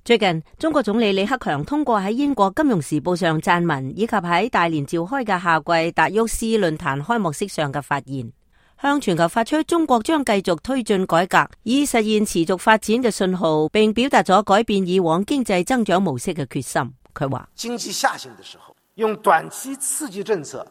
最近，中國總理李克強通過喺英國《金融時報》上撰文，以及喺大連召開嘅夏季達沃斯論壇開幕式上嘅發言，向全球發出中國將繼續推進改革，以實現持續發展嘅信號，並表達咗改變以往經濟增長模式嘅決心。佢話：經濟下行的時候，用短期刺激政策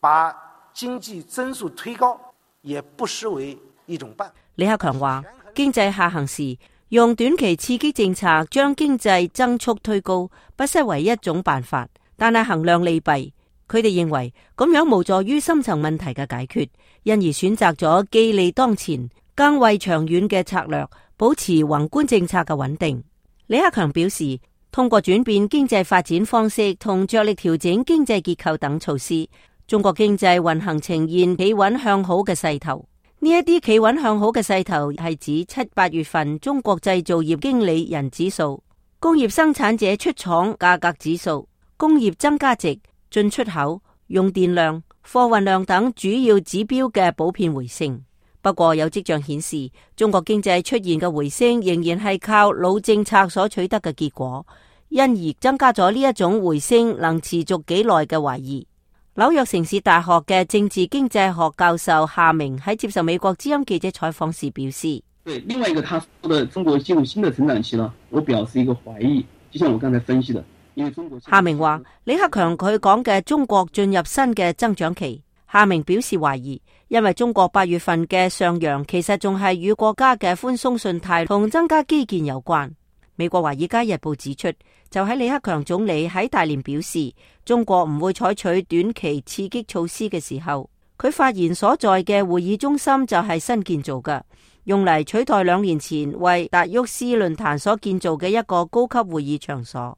把經濟增速推高，也不失為一種辦法。李克強話：經濟下行時，用短期刺激政策將經濟增速推高，不失為一種辦法，但係衡量利弊，佢哋認為咁樣無助於深層問題嘅解決，因而選擇咗既利當前，更為長遠嘅策略，保持宏觀政策嘅穩定。李克強表示，通過轉變經濟發展方式同着力調整經濟結構等措施，中國經濟運行呈現企穩向好嘅勢頭。呢一啲企穩向好嘅勢頭係指7、8月份中國製造業經理人指數、工業生產者出廠價格指數、工業增加值、進出口、用電量、貨運量等主要指標嘅普遍回升。不過有跡象顯示，中國經濟出現嘅回升仍然係靠老政策所取得嘅結果，因而增加咗呢一種回升能持續幾耐嘅懷疑。紐約城市大學嘅政治經濟學教授夏明喺接受美國之音記者採訪時表示：對，另外一個他說的中國進入新的成長期呢，我表示一個懷疑，就像我剛才分析的，因為中國夏明話李克強佢講嘅中國進入新嘅增長期，夏明表示懷疑，因為中國8月份嘅上揚其實仲係與國家嘅寬鬆信貸同增加基建有關。美國華爾街日報指出，就喺李克強總理喺大連表示中國唔會採取短期刺激措施嘅時候，佢發言所在嘅會議中心就係新建造嘅，用嚟取代2年前為達沃斯論壇所建造嘅一個高級會議場所。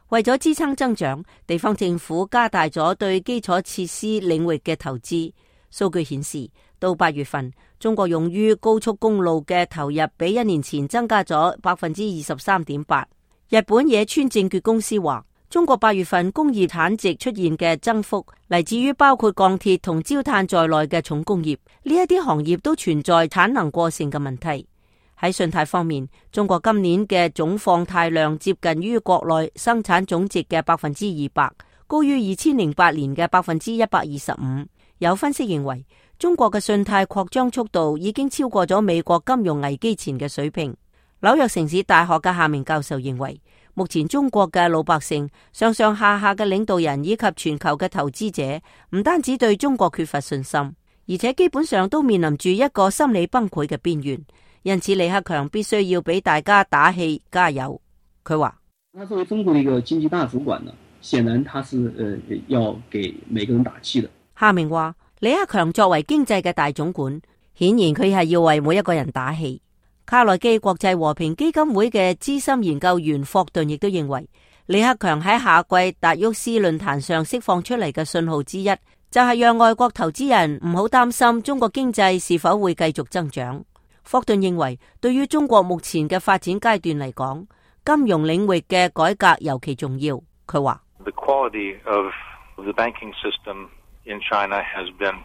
為咗支撐增長，地方政府加大咗對基礎設施領域嘅投資。數據顯示，到8月份，中國用於高速公路嘅投入比1年前增加咗 23.8%。日本野村證券公司話，中國8月份工業產值出現嘅增幅嚟自於包括鋼鐵同焦炭在內嘅重工業，呢一啲行業都存在產能過剩嘅問題。喺信貸方面，中國今年嘅總放貸量接近於國內生產總值嘅200%，高於2008年嘅125%。有分析認為，中國嘅信貸擴張速度已經超過咗美國金融危機前嘅水平。紐約城市大學嘅夏明教授認為，目前中國嘅老百姓、上上下下嘅領導人以及全球嘅投資者，唔單止對中國缺乏信心，而且基本上都面臨住一個心理崩潰嘅邊緣。因此，李克強必須要俾大家打氣加油。佢話：他作為中國的一個經濟大主管呢，顯然他是要給每個人打氣的。夏明話：李克強作為經濟嘅大總管，顯然佢係要為每一個人打氣。卡內基國際和平基金會嘅資深研究員霍頓亦都認為，李克強喺夏季達沃斯論壇上釋放出嚟嘅信號之一，就係讓外國投資人唔好擔心中國經濟是否會繼續增長。霍頓認為，對於中國目前嘅發展階段嚟講，金融領域嘅改革尤其重要。佢話：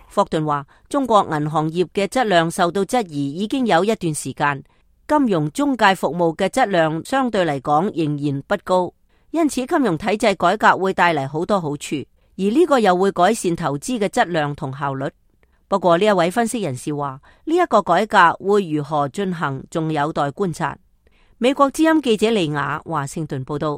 霍頓話，中國銀行業嘅質量受到質疑已經有一段時間，金融中介服務嘅質量相對嚟講仍然不高，因此金融體制改革會帶嚟好多好處，而呢個又會改善投資嘅質量同效率。不過呢一位分析人士話，呢一個改革會如何進行，仲有待觀察。美國之音記者李雅華盛頓報道。